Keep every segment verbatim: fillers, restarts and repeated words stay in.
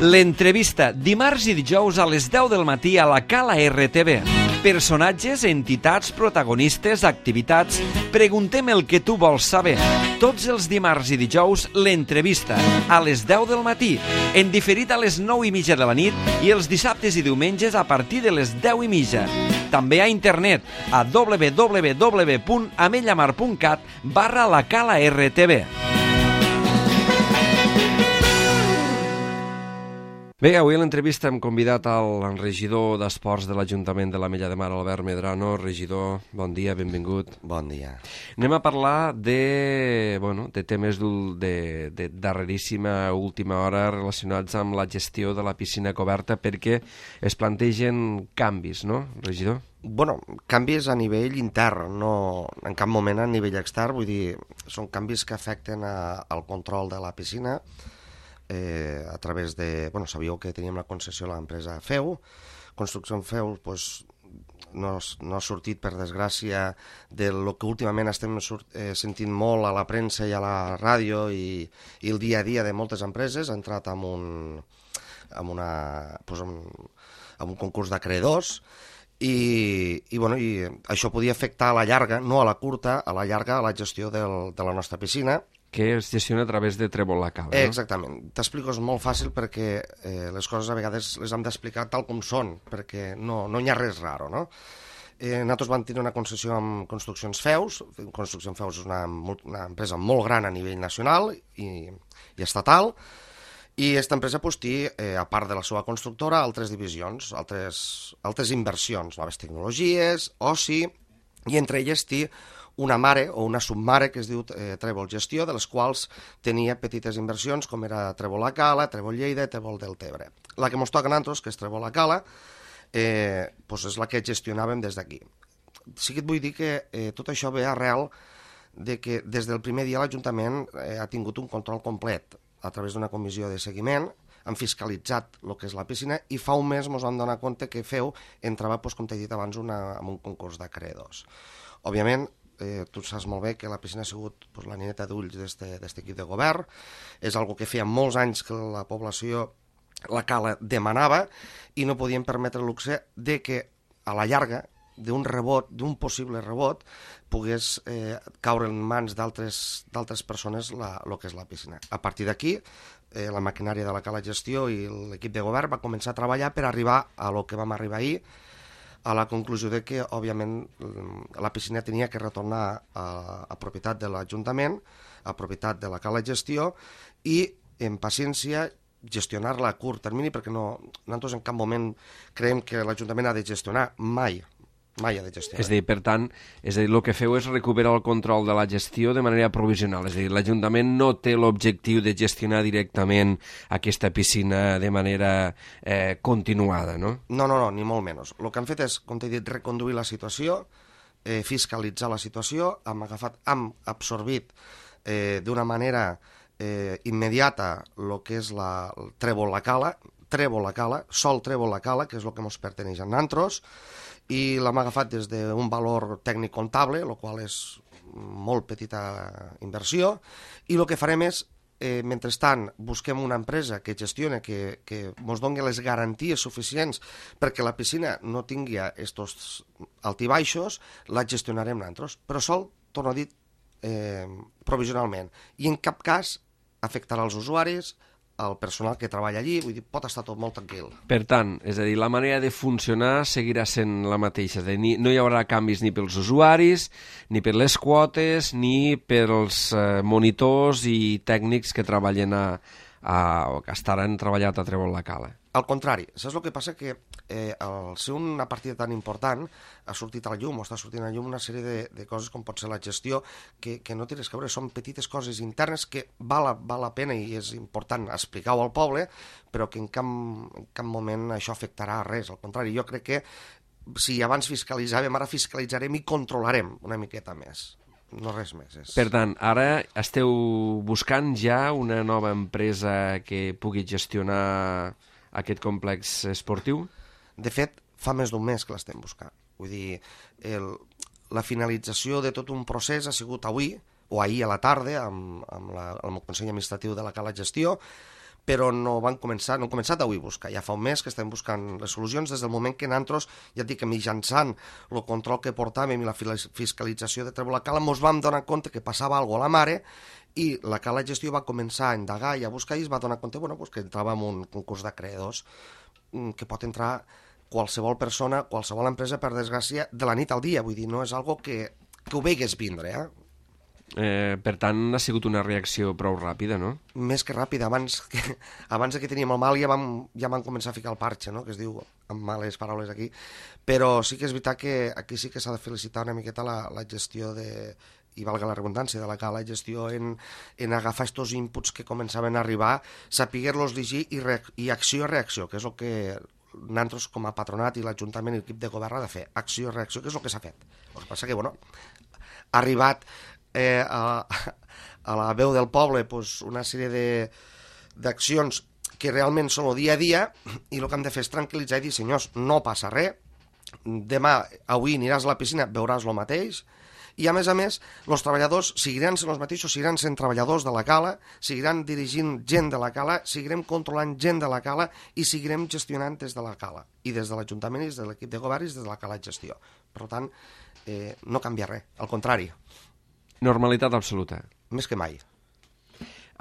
L'entrevista, dimarts i dijous a les deu del matí a la Cala R T V. Personatges, entitats, protagonistes, activitats... Preguntem el que tu vols saber. Tots els dimarts i dijous, l'entrevista, a les deu del matí, en diferit a les nou i mitja de la nit i els dissabtes i diumenges a partir de les deu i mitja. També a internet, a w w w punt amellamar punt cat barra la Cala R T V. Bé, avui a l'entrevista hem convidat al regidor d'Esports de l'Ajuntament de l'Ametlla de Mar, Albert Medrano. Regidor, bon dia, benvingut. Bon dia. Anem a parlar de, bueno, de temes de, de darreríssima última hora relacionats amb la gestió de la piscina coberta perquè es plantegen canvis, no, regidor? Bueno, canvis a nivell intern, no en cap moment a nivell extern, vull dir, són canvis que afecten a, al control de la piscina. Eh, a través de... Bueno, sabíeu que teníem la concessió a l'empresa Feu. Construcció Feu pues, no, no ha sortit, per desgràcia, de lo que últimament estem sort, eh, sentint molt a la premsa i a la ràdio i, i el dia a dia de moltes empreses. Ha entrat en un, en una, pues, en, en un concurs d'acreedors i, i, bueno, i això podia afectar a la llarga, no a la curta, a la llarga, a la gestió del, de la nostra piscina, que es gestiona a través de Trèvol la Cala, no? Exactament. T'explico, és molt fàcil perquè eh, les coses a vegades les hem d'explicar tal com són, perquè no, no hi ha res raro, no? Eh, nosaltres vam tenir una concessió amb Construccions Feus. Construccions Feus és una, una empresa molt gran a nivell nacional i, i estatal, i aquesta empresa pues, té, eh, a part de la seva constructora, altres divisions, altres, altres inversions, noves tecnologies, oci, i entre elles té una mare o una submare que es diu eh, Trèvol Gestió, de les quals tenia petites inversions com era Trèvol la Cala, Trèvol Lleida i Trèvol Deltebre. La que ens toca a nosaltres, que és Trèvol la Cala, eh, doncs és la que gestionàvem des d'aquí. Sí que et vull dir que eh, tot això ve arrel de que des del primer dia l'Ajuntament eh, ha tingut un control complet a través d'una comissió de seguiment, han fiscalitzat el que és la piscina i fa un mes ens vam donar compte que Feu entrava, doncs, com t'he dit abans, una, en un concurs d'acreedors. Òbviament, Eh, tu saps molt bé que la piscina ha sigut pues, la nineta d'ulls d'aquest equip de govern. És algo que feia molts anys que la població, la Cala, demanava i no podien permetre el luxe de que a la llarga d'un rebot, d'un possible rebot, pogués eh, caure en mans d'altres persones el que és la piscina. A partir d'aquí, eh, la maquinària de la Cala Gestió i l'equip de govern va començar a treballar per arribar a lo que vam arribar ahir, a la conclusió de que, òbviament, la piscina tenia que retornar a, a propietat de l'Ajuntament, a propietat de la Cala Gestió, i, en paciència, gestionar-la a curt termini, perquè no, nosaltres en cap moment creiem que l'Ajuntament ha de gestionar mai, mai ha de gestionar. És a dir, per tant, és a dir, el que feu és recuperar el control de la gestió de manera provisional, és a dir, l'Ajuntament no té l'objectiu de gestionar directament aquesta piscina de manera eh, continuada, no? No, no, no, ni molt menys. El que han fet és, com t'he dit, reconduir la situació, eh, fiscalitzar la situació, hem agafat, hem absorbit eh, d'una manera eh, immediata el que és la el Trèvol la Cala, Trèvol la Cala, sol Trèvol la Cala, que és el que ens perteneix a nosaltres, i l'hem agafat des d'un valor tècnic comptable, el qual és molt petita inversió, i el que farem és, eh, mentrestant, busquem una empresa que gestione, que, que ens doni les garanties suficients perquè la piscina no tingui estos altibaixos, la gestionarem nosaltres. Però sol, torno a dir, eh, provisionalment. I en cap cas afectarà els usuaris, el personal que treballa allí, vull dir, pot estar tot molt tranquil. Per tant, és a dir, la manera de funcionar seguirà sent la mateixa, és a dir, no hi haurà canvis ni pels usuaris, ni per les quotes, ni pels eh, monitors i tècnics que treballen a, a, o que estaran treballat a Trèvol la Cala. Al contrari, saps el que passa? Que eh, al ser una partida tan important ha sortit a la llum, o està sortint a la llum una sèrie de, de coses com pot ser la gestió, que, que no tens que veure, són petites coses internes que val, val la pena i és important explicar-ho al poble, però que en cap, en cap moment això afectarà a res. Al contrari, jo crec que si abans fiscalitzàvem, ara fiscalitzarem i controlarem una miqueta més. No res més. És... Per tant, ara esteu buscant ja una nova empresa que pugui gestionar aquest complex esportiu? De fet, fa més d'un mes que l'estem buscant. Vull dir, el, la finalització de tot un procés ha sigut avui, o ahir a la tarda, amb, amb, la, amb el Consell Administratiu de la Cala Gestió, però no van començar, no han començat avui a buscar. Ja fa un mes que estem buscant les solucions des del moment que nosaltres, ja et dic que mitjançant el control que portàvem i la fiscalització de Trèvol la Cala, ens vam donar compte que passava alguna cosa a la mare i la Cala Gestió va començar a indagar i a buscar i es va donar compte bueno, pues que entrava en un concurs d'acreedors que pot entrar qualsevol persona, qualsevol empresa, per desgràcia, de la nit al dia. Vull dir, no és algo que, que ho veigues vindre, eh? Eh, per tant, ha sigut una reacció prou ràpida, no? Més que ràpida. Abans que, abans que teníem el mal ja vam, ja vam començar a ficar el parxe, no? Que es diu amb males paraules aquí. Però sí que és veritat que aquí sí que s'ha de felicitar una miqueta la, la gestió de, i valga la redundància, de la Cala Gestió en, en agafar estos inputs que començaven a arribar, saber-los llegir i, re, i acció-reacció, que és el que nosaltres com a patronat i l'Ajuntament i l'equip de govern ha de fer. Acció-reacció, que és el que s'ha fet. El que passa que, bueno, ha arribat Eh, a, a la veu del poble pues, una sèrie d'accions que realment són el dia a dia i el que hem de fer és tranquil·litzar i dir senyors, no passa res, demà, avui aniràs a la piscina, veuràs el mateix i a més a més, els treballadors seguiran sent els mateixos, seguiran sent treballadors de la Cala, seguiran dirigint gent de la Cala, seguirem controlant gent de la Cala i seguirem gestionant des de la Cala i des de l'Ajuntament i des de l'equip de govern i des de la Cala Gestió. Per tant, eh, no canvia res, al contrari. Normalitat absoluta. Més que mai.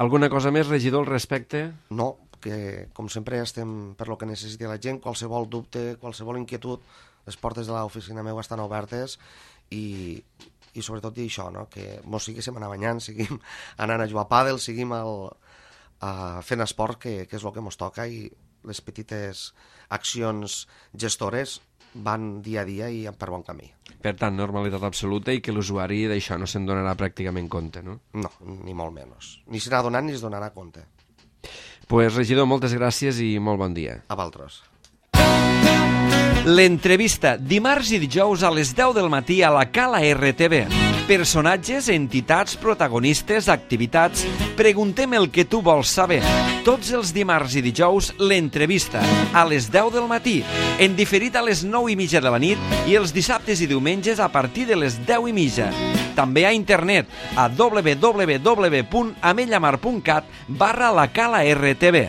Alguna cosa més, regidor, al respecte? No, que com sempre estem per lo que necessiti la gent, qualsevol dubte, qualsevol inquietud, les portes de l'oficina meva estan obertes i, i sobretot dir això, no? Que mos seguíssim anar banyant, seguim anant a jugar a pàdel, seguim el, a, fent esport, que, que és el que mos toca i les petites accions gestores van dia a dia i per bon camí. Per tant, normalitat absoluta i que l'usuari d'això no se'n donarà pràcticament compte, no? No, ni molt menys. Ni se n'ha donat ni es donarà compte. Pues, regidor, moltes gràcies i molt bon dia. A vosaltres. L'entrevista, dimarts i dijous a les deu del matí a la Cala R T V. Personatges, entitats, protagonistes, activitats... Preguntem el que tu vols saber. Tots els dimarts i dijous, l'entrevista, a les deu del matí, en diferit a les nou i mitja de la nit i els dissabtes i diumenges a partir de les deu i mitja. També a internet a w w w punt amellamar punt cat barra la Cala R T V.